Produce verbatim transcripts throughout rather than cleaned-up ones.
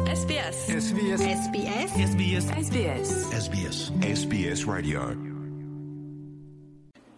S B S. S B S. S B S. S B S. S B S. S B S. S B S Radio.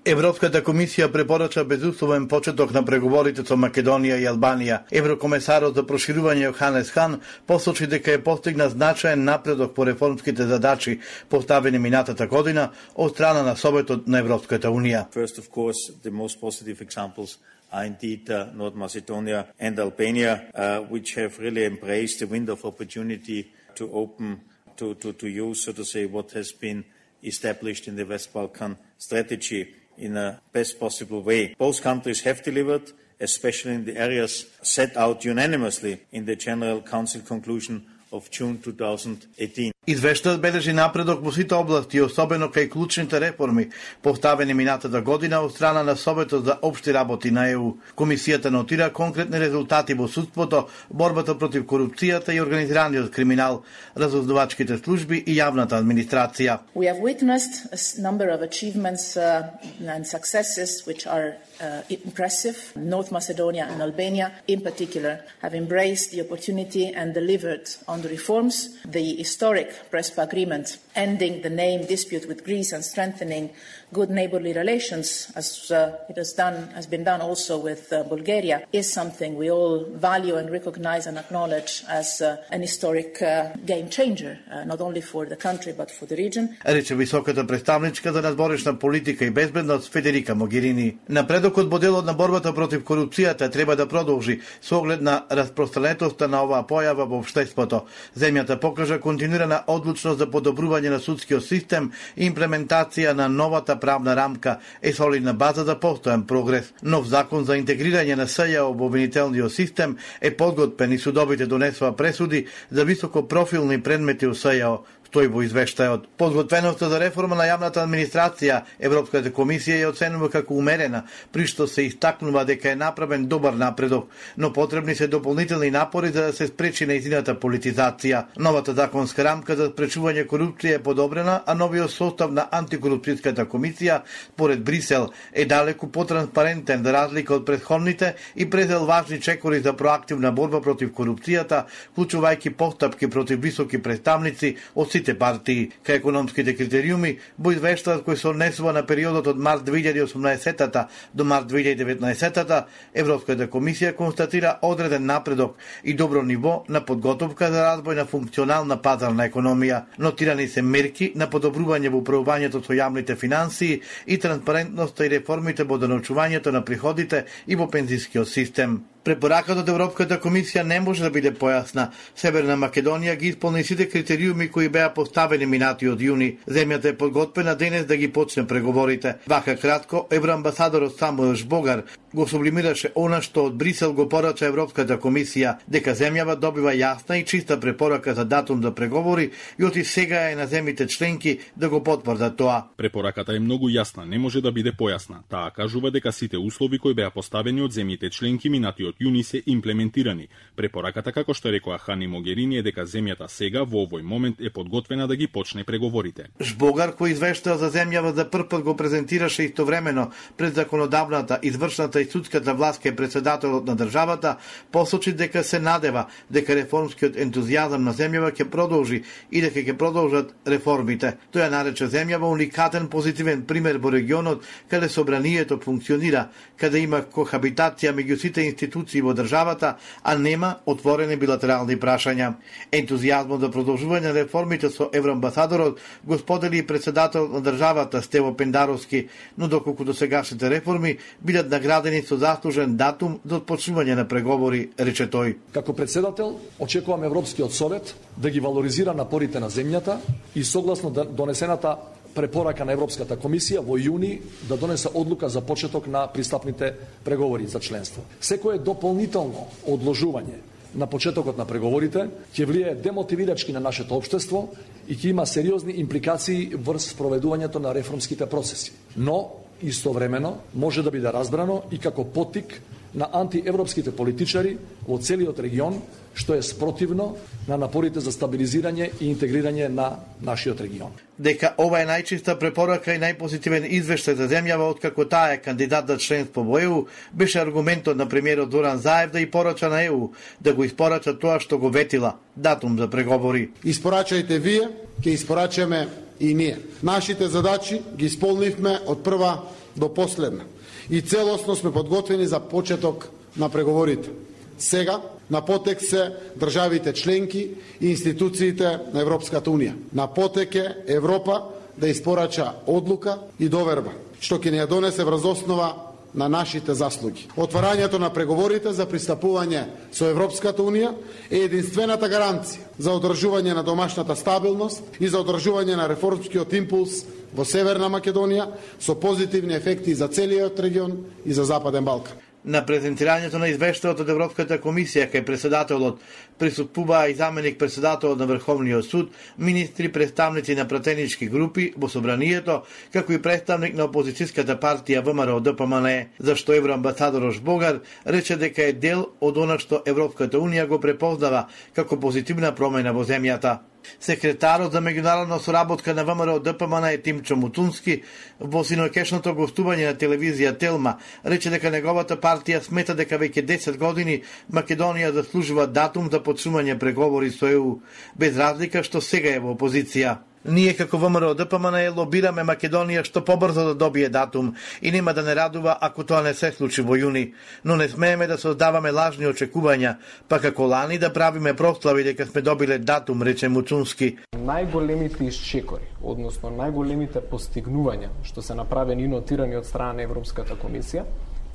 Европската комисија препорача безусловен почеток на преговорите со Македонија и Албанија. Еврокомесарот за проширување Јоханес Хан посочи дека е постигнат значаен напредок по реформските задачи поставени минатата година од страна на Советот на Европската Унија. First, of course, the most positive examples are indeed uh, North Macedonia and Albania, uh, which have really embraced the window of opportunity to open, to, to, to use, so to say, what has been established in the West Balkan strategy in a best possible way. Both countries have delivered, especially in the areas set out unanimously in the General Council conclusion of June two thousand eighteen. Извештајот бележи напредок во сите области, особено кај клучните реформи, поставени минатата година од страна на Советот за општи работи на Е У. Комисијата нотира конкретни резултати во судството, борбата против корупцијата и организираниот криминал, разузнавачките служби и јавната администрација. We have witnessed a number of achievements uh, and successes which are uh, impressive. North Macedonia and Albania, in particular, have embraced the opportunity and delivered on the reforms. The historic Prespa agreement ending the name dispute with Greece and strengthening good neighbourly relations, as uh, it has done, has been done also with uh, Bulgaria, is something we all value and recognise and acknowledge as uh, an historic uh, game changer, uh, not only for the country but for the region. Рече високата представничка за надворешна политика и безбедност Федерика Могерини. Напредокот во делот на борбата против корупцијата треба да продолжи со оглед на распространетоста на оваа појава во општеството. Земјата покажа континуирана одлучност за подобрување на судскиот систем и имплементација на новата правна рамка е солидна база за постојан прогрес. Нов закон за интегрирање на С Ј О во обвинителниот систем е подготвен и судовите донесува пресуди за високопрофилни предмети у С Ј О. Стои во извештајот. Подготвеноста за реформа на јавната администрација Европската комисија ја оценува како умерена, при што се истакнува дека е направен добар напредок, но потребни се дополнителни напори за да се спречи нејзината политизација. Новата законска рамка за спречување корупција е подобрена, а новиот состав на антикорупцијската комисија, според Брисел, е далеку потранспарентен за разлика од претходните и презел важни чекори за проактивна борба против корупцијата, вклучувајќи постапки против високи представници од сите партии. Кај економските критериуми во извештајот кој се однесува на периодот од март две илјади и осумнаесета до март две илјади и деветнаесета, Европската комисија констатира одреден напредок и добро ниво на подготовка за развој на функционална пазарна економија. Нотирани се мерки на подобрување во управувањето со јавните финансии и транспарентноста и реформите во донаучувањето на приходите и во пензискиот систем. Препораката од Европската комисија не може да биде појасна. Северна Македонија ги исполни сите критериуми кои беа поставени минатиот јуни. Земјата е подготвена денес да ги почне преговорите. Вака кратко, евроамбасадорот Самуел Жбогар го сублимираше она што од Брисел го порача Европската комисија, дека земјава добива јасна и чиста препорака за датум за преговори и оти сега е на земјите членки да го потврдат тоа. Препораката е многу јасна, не може да биде појасна. Таа кажува дека сите услови кои беа поставени од земјите членки минатиот јуни се имплементирани. Препораката, како што рекоа Хан и Могерини, е дека земјата сега во овој момент е подготвена да ги почне преговорите. Жбогар, кој извештал за земјава за прв пат, го презентираше истовремено пред законодавната, извршната и судската власт кај председателот на државата, посочи дека се надева дека реформскиот ентузијазам на земјава ќе продолжи и дека ќе продолжат реформите. Тој ја нарече земјава уникатен позитивен пример во регионот каде собранието функционира, каде има кохабитација меѓу сите институции во државата, а нема отворени билатерални прашања. Ентузијазмот за продолжување на реформите со евроамбасадорот го сподели и председателот на државата Стево Пендаровски, но доколку досегашните реформи бидат наградени со заслужен датум за отпочнување на преговори, рече тој. Како председател, очекувам Европскиот совет да ги валоризира напорите на земјата и согласно донесената препорака на Европската комисија во јуни да донесе одлука за почеток на пристапните преговори за членство. Секое дополнително одложување на почетокот на преговорите ќе влијае демотивирачки на нашето општество и ќе има сериозни импликации врз спроведувањето на реформските процеси. Но истовремено може да биде разбрано и како поттик на антиевропските политичари во целиот регион, што е спротивно на напорите за стабилизирање и интегрирање на нашиот регион. Дека ова е најчиста препорака и најпозитивен извештај за земјава откако таа е кандидат за членство во Е У, беше аргументот на премиерот Зоран Заев да и порача на Е У да го испорача тоа што го ветила, датум за преговори. Испорачајте вие, ќе испорачаме и ние. Нашите задачи ги исполнивме од прва до последна и целосно сме подготвени за почеток на преговорите. Сега на потек се државите членки и институциите на Европската Унија. На потек е Европа да испорача одлука и доверба, што ќе ни ја донесе врз основа на нашите заслуги. Отварањето на преговорите за пристапување со Европската Унија е единствената гаранција за одржување на домашната стабилност и за одржување на реформскиот импулс во Северна Македонија со позитивни ефекти за целиот регион и за Западен Балкан. На презентирањето на извештајот од Европската комисија кај претседателот присуствуваа и заменик претседателот на Врховниот суд, министри, представници на пратенички групи во собранието, како и представник на опозицијската партија Вэ Ем Ар О Д П М Н Е, зашто евроамбасадор Богар рече дека е дел од она што Европската Унија го препознава како позитивна промена во земјата. Секретарот за меѓународна соработка на Вэ Ем Ар О Д П М Н Е Тимчо Мутунски во синокешното гостување на телевизија Телма рече дека неговата партија смета дека веќе десет години Македонија заслужува датум за почнување преговори со Е У, без разлика што сега е во опозиција. Ние како Вэ Ем Ар О Д П М Н Е лобираме Македонија што побрзо да добие датум и нема да не радува ако тоа не се случи во јуни, но не смееме да создаваме лажни очекувања, па како лани да правиме прослави дека сме добиле датум, рече Муцунски. Најголемите исчекори, односно најголемите постигнувања што се направени и нотирани од страна на Европската комисија,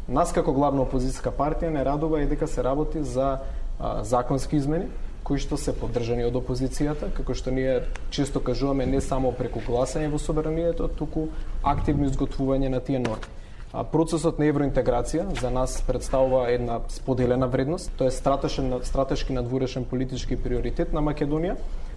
нас како главна опозицијска партија не радува и дека се работи за а, законски измени кои што се поддржани од опозицијата, како што ние често кажуваме не само преку гласање во собранието, туку активно изготвување на тие норми. А процесот на евроинтеграција за нас представува една споделена вредност, тоа е стратешен, стратешки надворешен политички приоритет на Македонија,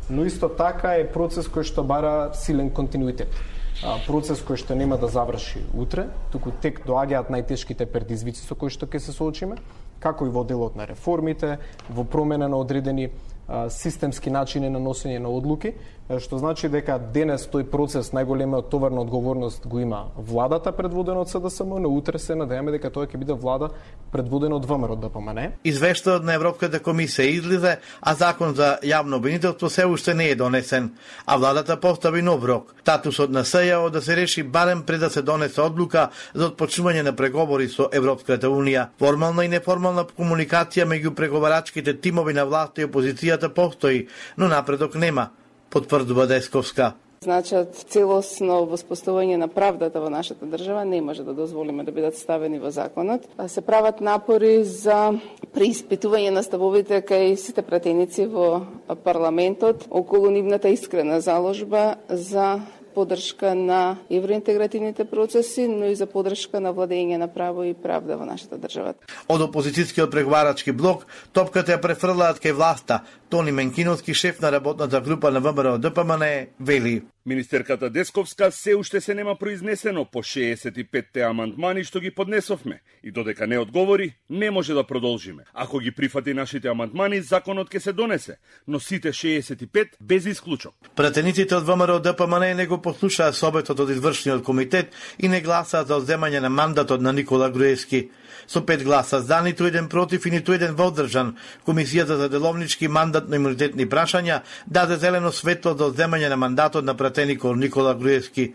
но исто така е процес кој што бара силен континуитет. А, процес кој што нема да заврши утре, туку тек доаѓаат најтешките предизвици со кои што ќе се соочиме, како и во делот на реформите, во промена на одредени а, системски начини на носење на одлуки, што значи дека денес тој процес најголемиот товар на одговорност го има владата предводена од С Д С М, но утре се надеваме дека тоа ќе биде влада предводена од Вэ Ем Ар О Д П М Н Е. Извештајот на Европската комисија излезе, а закон за јавно обвинителство се уште не е донесен, а владата постави нов рок. Статусот на С Ј О да се реши барем пред да се донесе одлука за отпочнување на преговори со Европската Унија. Формална и неформална комуникација меѓу преговарачките тимови на власта и опозицијата постои, но напредок нема, потврдува Десковска. Значат, целосно воспоставување на правдата во нашата држава не може да дозволиме да бидат ставени во законот. Се прават напори за преиспитување на ставовите кај сите пратеници во парламентот околу нивната искрена заложба за поддршка на евроинтегративните процеси, но и за поддршка на владење на право и правда во нашата држава. Од опозицијскиот преговарачки блок, топката ја префрлаат кај власта. Тони Менкиновски, шеф на работната група на Вэ Ем Ар О Д П М Н Е, вели: Министерката Десковска се уште се нема произнесено по шеесет и петте амандмани што ги поднесовме и додека не одговори, не може да продолжиме. Ако ги прифати нашите амандмани, законот ќе се донесе, но сите шеесет и пет без исклучок. Пратениците од Вэ Ем Ар О Д П М Н Е не го послушаа советот од извршниот комитет и не гласаат за одземање на мандатот на Никола Груевски. Со пет гласа за, ниту еден против и ниту еден воздржан, Комисијата за деловнички мандатно-имунитетни прашања даде зелено светло за одземање на мандатот на пратеникот Никола Груевски.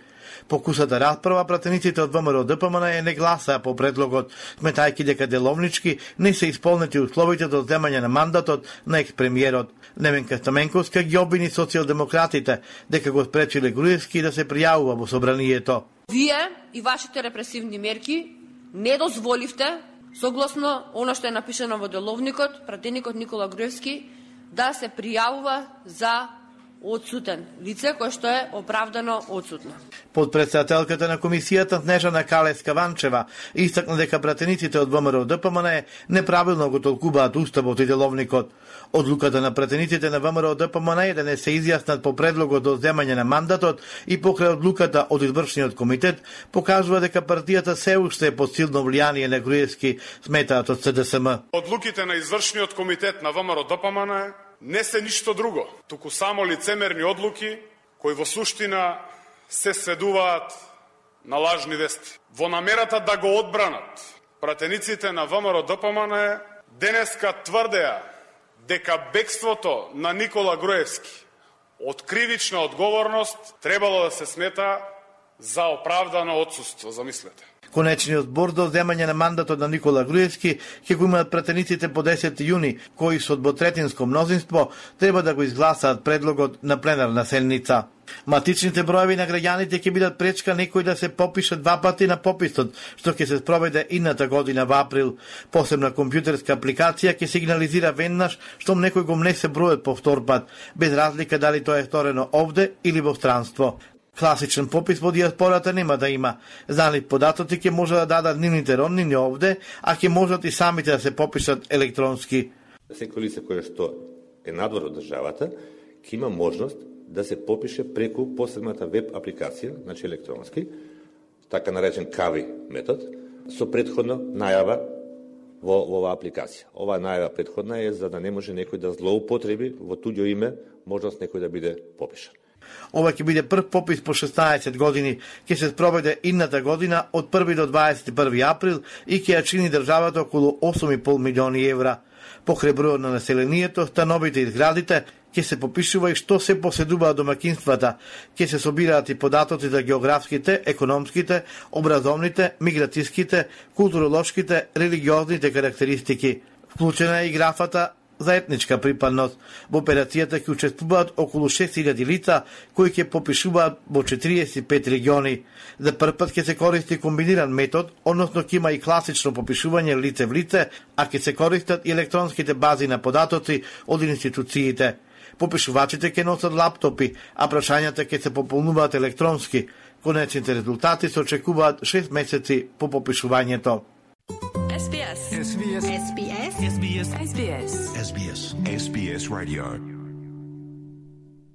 По кусата расправа, пратениците од Вэ Ем Ар О Д П М Н Е не гласаа по предлогот, сметајќи дека деловнички не се исполнети условите за одземање на мандатот на екс-премиерот. Неменка Стаменковска ги обвини социјалдемократите дека го спречиле Груевски да се пријавува во собранието. Вие и вашите репресивни мерки не дозволивте, согласно она што е напишано во деловникот, пратеникот Никола Груевски да се пријавува за одсутен лице кој што е оправдано одсутно. Подпредседателката на комисијата Снежана Калеска-Ванчева истакна дека пратениците од ВМРО Д П М Н неправилно го толкуваат уставот и деловникот. Одлуката на пратениците на ВМРО Д П М Н е да не се изјаснат по предлогот до земање на мандатот и покрај одлуката од извршниот комитет покажува дека партијата се уште е под силно влијание на Груевски, сметаат од С Д С М. Одлуките на извршниот комитет на ВМРО Д П М Н не се ништо друго, туку само лицемерни одлуки кои во суштина се сведуваат на лажни вести. Во намерата да го одбранат, пратениците на ВМРО Д П М Н денеска тврдеа дека бегството на Никола Груевски од кривична одговорност требало да се смета за оправдано отсуство, замислете. Конечниот збор до земање на мандатот на Никола Груевски ќе го имаат пратениците по десети јуни, кои со двотретинско мнозинство треба да го изгласаат предлогот на пленарна седница. Матичните броеви на граѓаните ќе бидат пречка некој да се попише два пати на пописот, што ќе се спроведе идната година во април. Посебна компјутерска апликација ќе сигнализира веднаш штом некој го внесе бројот по втор пат, без разлика дали тоа е сторено овде или во странство. Класичен попис во диаспората нема да има. Знали податоци ќе може да дадат нивните роднини овде, а ќе можат и самите да се попишат електронски. Секој лице кое што е надвор од државата ќе има можност да се попише преку посебната веб апликација, значи електронски, така наречен КАВИ метод, со предходно најава во, во оваа апликација. Оваа најава предходна е за да не може некој да злоупотреби во туѓо име можност некој да биде попишан. Ова ќе биде прв попис по шеснаесет години, ќе се спроведе идната година од први до дваесет и први април и ќе ја чини државата околу осум и пол милиони евра. Покрај бројот на населението, становите и зградите, ќе се попишува и што се поседуваат домакинствата, ќе се собираат и податоци за географските, економските, образовните, миграцијските, културолошките, религиозните карактеристики. Вклучена е и графата за етничка припадност. Во операцијата ќе учествуваат околу шест илјади лица кои ќе попишуваат во четириесет и пет региони. За прв пат ќе се користи комбиниран метод, односно ќе има и класично попишување лице в лице, а ќе се користат и електронските бази на податоци од институциите. Попишувачите ќе носат лаптопи, а прашањата ќе се пополнуваат електронски. Конечните резултати се очекуваат шест месеци по попишувањето. S B S. S B S. S B S. S B S. S B S. S B S. S B S Radio.